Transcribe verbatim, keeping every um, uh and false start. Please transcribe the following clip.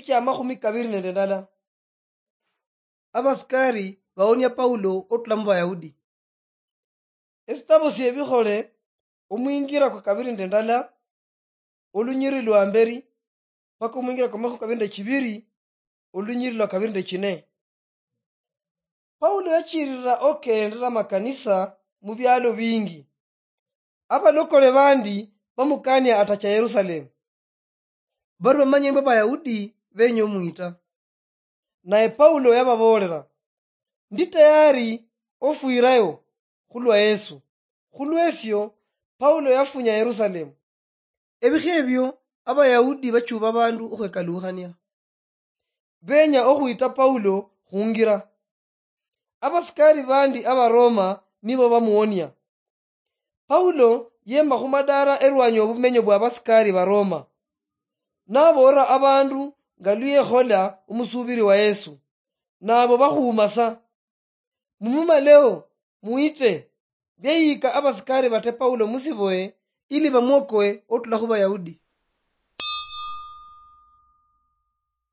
kia makhumi kabiri nende ndala. Abasikari bawonia Paulo otula mu Bayahudi. Esitabo sie Bikhole, omwingira kwa kabiri nende ndala, olunyiri lwa mberi, paka omwingira kwa makhumi kabiri nende chibiri, olunyiri lwa kabiri nende chine. Paulo yachirira okendera makanisa mu bialo bingi. Abalokole bandi bamukania atacha Yerusalemu. Bari bamanye mbu Abayahudi benya omwita. Naye Paulo yababoolera, "Ndi tayari ofwirayo khulwa Yesu." Khulwesio, Paulo yafunya Yerusalemu. Ebikha ebio, Abayahudi bachuba abandu okhwekalukhania. Benya okhwita Paulo khungira. Abasikari bandi Abaroma nibo bamuwonia. Paulo yema khumadara erwanyi obumenyo bwa abasikari Baroma. Naboolera abandu nga luyekhola omusubiri wa Yesu. Nabo bakhuuma sa. Mumumaleo, muite, byeyika abasikari bate Paulo musiboye, ili bamwokoe otula khu Bayahudi.